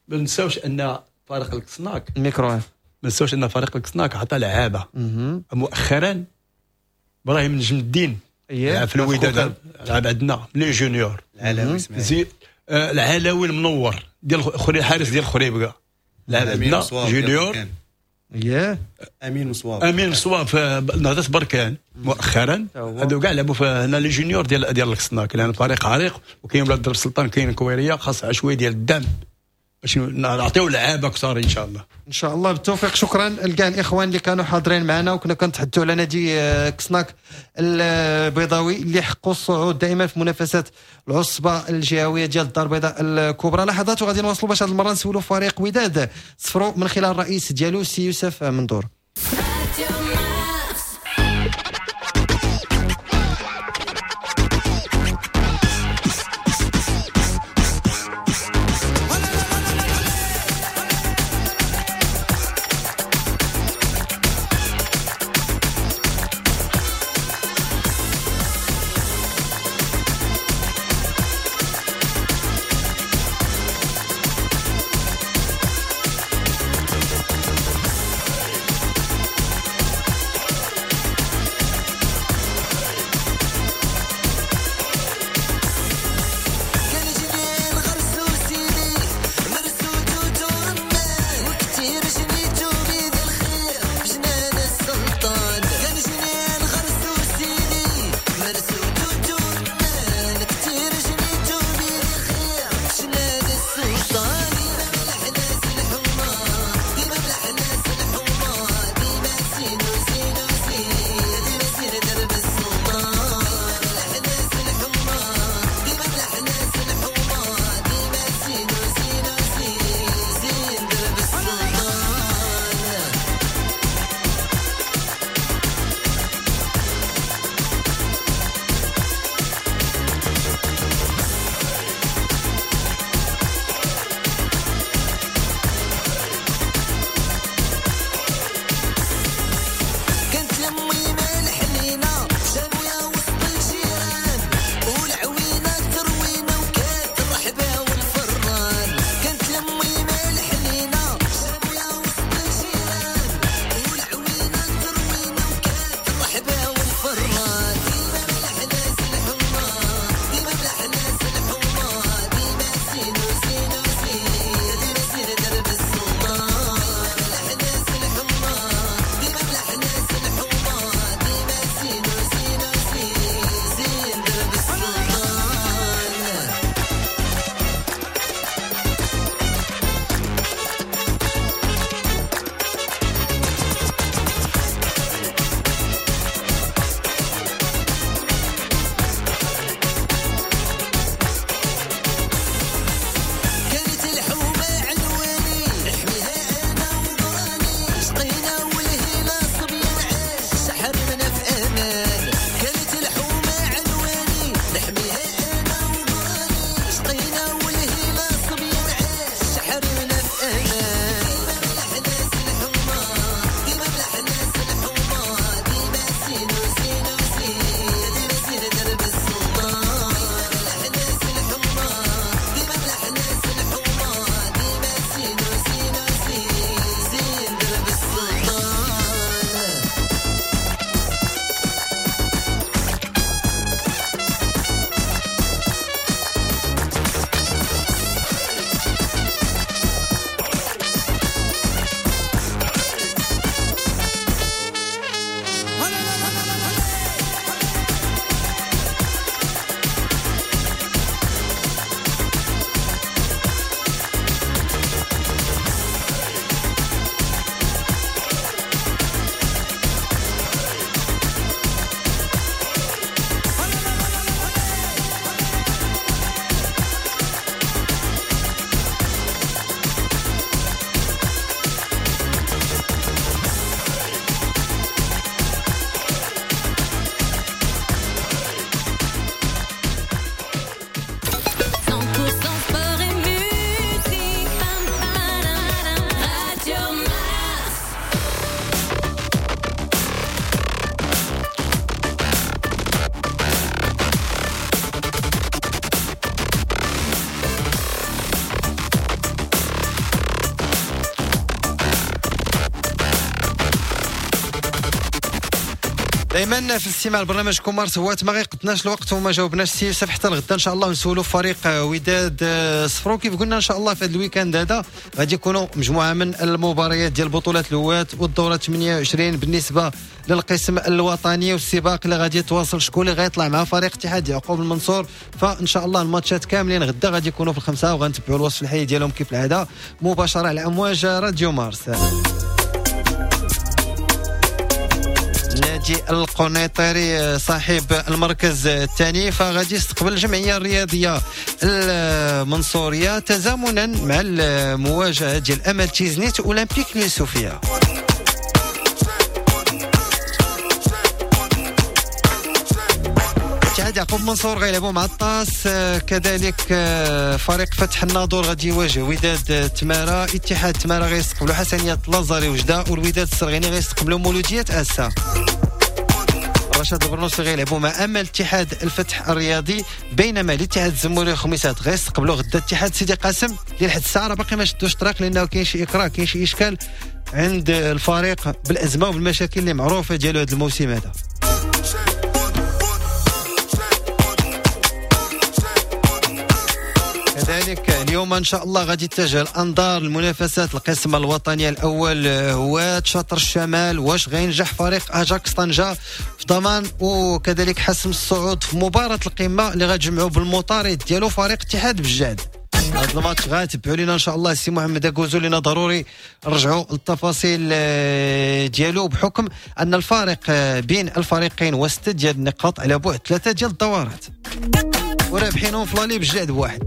ما نساوش ان فريق الكسناك الميكرو، ما نساوش ان فريق الكسناك عطى لعابه مؤخرا، ابراهيم نجم الدين لعب في الوداد، لعب عندنا les juniors، العلاوي زي آه العلاوي المنور ديال خري الحارس ديال خريبكه لعب عندنا junior. اييه امين مصواب، امين مصواب في نهضة بركان مؤخرا، هادو كاع لعبوا في هنا les juniors ديال ديال الكسناك، لان فريق عريق وكاين ولاد درب السلطان، كاين كويريه، خاص شوية ديال الدعم باش نعطيو لعابه اكثر ان شاء الله. ان شاء الله بالتوفيق. شكرا لكاع الاخوان اللي كانوا حاضرين معنا، وكنا كنتحدثوا على نادي كسناك البيضاوي اللي حقوا الصعود دائما في منافسات العصبة الجهوية ديال الدار البيضاء الكبرى. لحظات وغادي نواصلوا باش هذه المرة نسولوا فريق وداد صفرو من خلال الرئيس ديالو سي يوسف مندور. دائما في الاستماع لبرنامج مارس هوات، ما غيقدناش الوقت وما جاوبناش السي يوسف حتى الغدا ان شاء الله نسولوا فريق وداد صفرو. كيف قلنا ان شاء الله في هذا ال week-end هذا غادي يكونوا مجموعة من المباريات ديال بطولات الهواة والدوره ثمانية وعشرين بالنسبة للقسم الوطني، والسباق اللي غادي يتواصل شكون اللي غيطلع مع فريق اتحاد يعقوب المنصور. فان شاء الله الماتشات كاملين غدا غادي يكونوا في الخمسة، وغنتبعوا الوصف الحي ديالهم كيف العادة مباشرة على امواج راديو مارس. نادي القنيطري صاحب المركز الثاني فغادي يستقبل الجمعية الرياضية المنصوريه تزامنا مع المواجهة ديال امل تيزنيت اولمبيك اليوسفيه. اتحاد يعقوب منصور غيلعبوا مع الطاس، كذلك فريق فتح الناظور غادي يواجه وداد تمارا، اتحاد تمارا غيستقبلوا حسنية لازاري وجدة، والوداد السرغيني غيستقبلوا مولودية اسا. رشاد البرنوسي غيلعبوا مع امل اتحاد الفتح الرياضي، بينما الاتحاد الزموري خميسات غيستقبلوا غدا اتحاد سيدي قاسم اللي لحد الساعة راه باقي ما شدوش الطريق، لانه كاين شي اكراه، كاين شي اشكال عند الفريق بالازمه وبالمشاكل اللي معروفة ديالو هذا الموسم هذا. كذلك اليوم ان شاء الله غادي تتجه الانظار لمنافسات القسم الوطني الاول هو شطر الشمال، واش غينجح فريق اجاكس طنجه في ضمان وكذلك حسم الصعود في مباراة القمه اللي غتجمعوا بالمطارد ديالو فريق اتحاد بجاد. هذا الماتش غاتبعوا لينا ان شاء الله السي محمد اكوزو، لنا ضروري نرجعوا للتفاصيل ديالو بحكم ان الفارق بين الفريقين وستة ديال النقاط على بعد ثلاثة ديال الدورات، ورابحينهم في l'aller بجاد بواحد.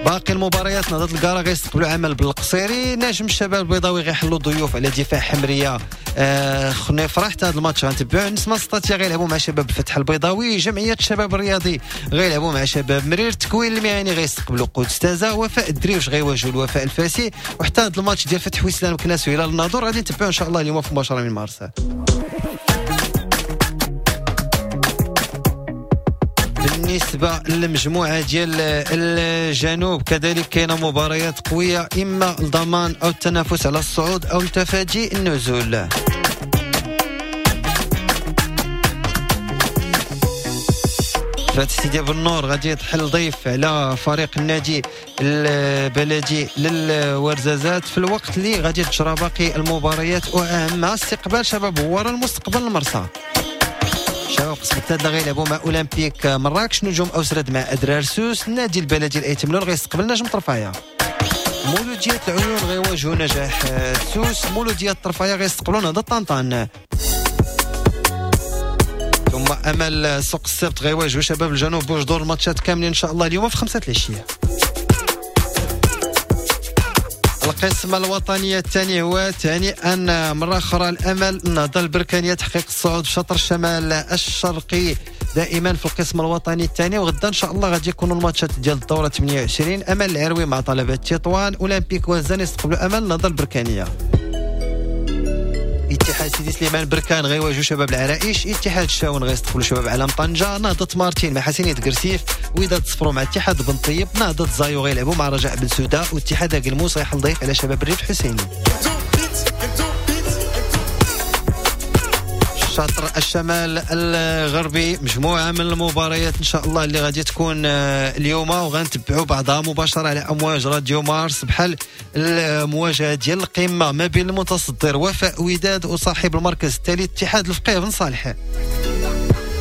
باقي المباريات نهضة القارة غيستقبلوا عمل بالقصيري، نجم الشباب البيضاوي غيحلوا ضيوف على دفاع حمريه آه خنيفره، حتى هذا الماتش غنتبعوه. نسمة سطاتيا غيلعبوا مع شباب الفتح البيضاوي، جمعية الشباب الرياضي غيلعبوا مع شباب مرير، التكوين المهني غيستقبلوا قدس تازا، وفاء الدريوش غيواجهوا الوفاء الفاسي، وحتى هذا الماتش ديال فتح وسلان مكناس وهلال الناظور غادي نتبعوه ان شاء الله اليوم في مباشرة من مارس. بالنسبة للمجموعة ديال الجنوب كذلك كاينة مباريات قوية، إما الضمان أو التنافس على الصعود أو التفادي النزول. فتح سيدي بالنور غادي يتحل ضيف على فريق النادي البلدي للورزازات في الوقت اللي غادي تجرى باقي المباريات، وأهمها استقبال شباب هوارة المستقبل المرسى. شباب قسم التادلة غيلعبوا مع اولمبيك مراكش، نجوم اوسرد مع ادرار سوس، النادي البلدي الايتملون غيستقبل نجم طرفايه، مولودية العيون غيواجهوا نجاح سوس، مولودية طرفايه غيستقبلوا نهضة طنطان، ثم امل سوق السبت غيواجهوا شباب الجنوب بوجدور. الماتشات كاملين ان شاء الله اليوم في خمسة العشية. القسم الوطني الثاني هو ثاني أن مرة أخرى الأمل النهضة البركانية تحقيق الصعود في شطر الشمال الشرقي دائما في القسم الوطني الثاني، وغدا إن شاء الله غادي يكونوا الماتشات ديال الدورة ثمانية وعشرين، أمل العروي مع طلبة تطوان، أولمبيك وزان يستقبلوا أمل النهضة البركانية، اتحاد سيدي سليمان بركان غيواجهوا شباب العرائش، اتحاد الشاون غيستقبلوا شباب علام طنجة، نهضة مارتين مع حسينية قرسيف، وداد صفرو مع اتحاد بن طيب، نهضة زايو غيلعبوا مع رجاء بن سوداء، واتحاد أكلموس غيحل ضيف على شباب الريف الحسيني. شطر الشمال الغربي مجموعة من المباريات إن شاء الله اللي غادي تكون اليوم، وغنتبعوا بعضها مباشرة على أمواج راديو مارس، بحال المواجهة ديال القمة ما بين المتصدر وفاء وداد وصاحب المركز الثالث اتحاد الفقيه بن صالح.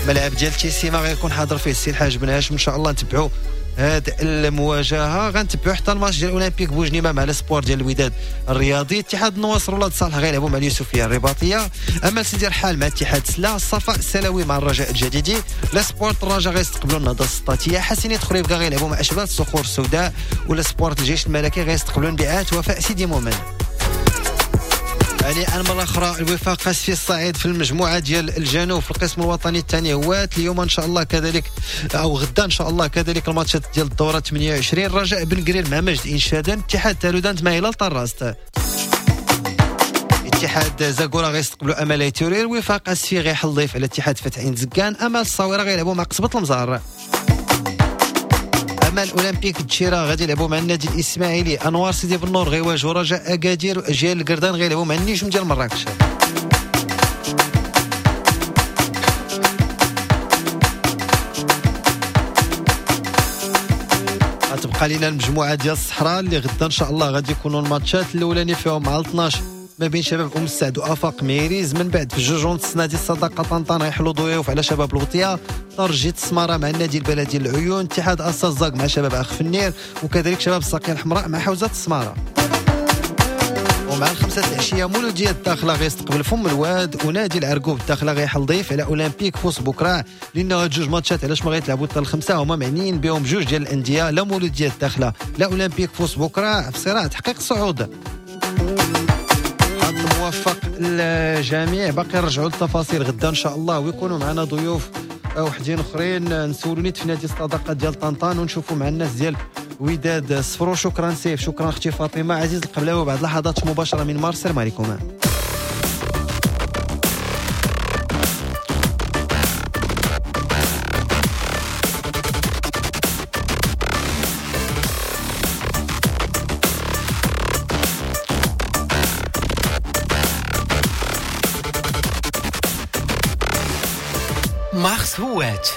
ملعب ديال تيسيما غيكون حاضر فيه السي الحاج بن هاشم، إن شاء الله نتبعوا هاد المواجهة. غنتبعوا حتى الماتش ديال اولمبيك بوجنيمه مع السبور ديال الوداد الرياضي، اتحاد النواصر ولاد صالح غيلعبوا مع اليوسفيه الرباطيه، امل سيدي رحال مع اتحاد سلا، الصفاء السلاوي مع الرجاء الجديدي، لاسبور الرجاء غيستقبلوا النهضة السطاتيه، حسنيه خريبكا غيلعبوا مع اشبال الصخور السوداء، ولاسبور الجيش الملكي غيستقبلوا انبعاث وفاء سيدي مومن. يعني أن مرة أخرى الوفاق في الصعيد في المجموعة ديال الجنوب في القسم الوطني الثاني هوات اليوم إن شاء الله كذلك أو غدا إن شاء الله كذلك الماتشات ديال الدورة ثمانية وعشرين، رجاء بن قرير مع مجد إنشادان، اتحاد تالودانت مع هلال طراست، اتحاد زاكورا غيستقبلوا أمل ايتورير، وفاق السفي غيحل ضيف على اتحاد فتح عين زكان، أمل الصويرة غيلعبوا مع قصبة المزار، الرحمن اولمبيك الدشيره غادي يلعبوا مع النادي الاسماعيلي، انوار سيدي بنور غيواجهوا رجاء اكادير، واجيال القردان غيلعبوا مع النجم ديال مراكش. غتبقى لينا المجموعة ديال الصحراء اللي غدا ان شاء الله غادي يكونوا الماتشات الاولاني فيهم مع اثناش ما بين شباب ام السعد وافاق ميريز، من بعد في جوج ونص نادي الصداقة طنطان غيحلوا ضيوف على شباب الوطية، ترجي السماره مع النادي البلدي العيون، اتحاد السزاق مع شباب اخ فنير، وكذلك شباب الساقيه الحمراء مع حوزة السماره. ومع الخمسة العشية مولوديه الداخلة غيستقبل فم الواد، ونادي العرقوب الداخلة غيحل ضيف على اولمبيك فوس بكره، لان هاد جوج ماتشات علاش ما غيتلعبوا حتى الخمسة هما معنيين بهم جوج ديال الاندية، لا مولوديه الداخلة لا اولمبيك فوس بكره في صراع تحقيق الصعود. موفق الجميع، باقي نرجعوا للتفاصيل غدا ان شاء الله، ويكونوا معنا ضيوف وحدين اخرين نسولوا نيت في نادي الصداقة ديال طنطان ونشوفوا مع الناس ديال وداد صفرو. شكرا سيف، شكرا اختي فاطمة. عزيز القبلاوي بعد لحظات مباشرة من مارس. السلام عليكم. مارس هوات.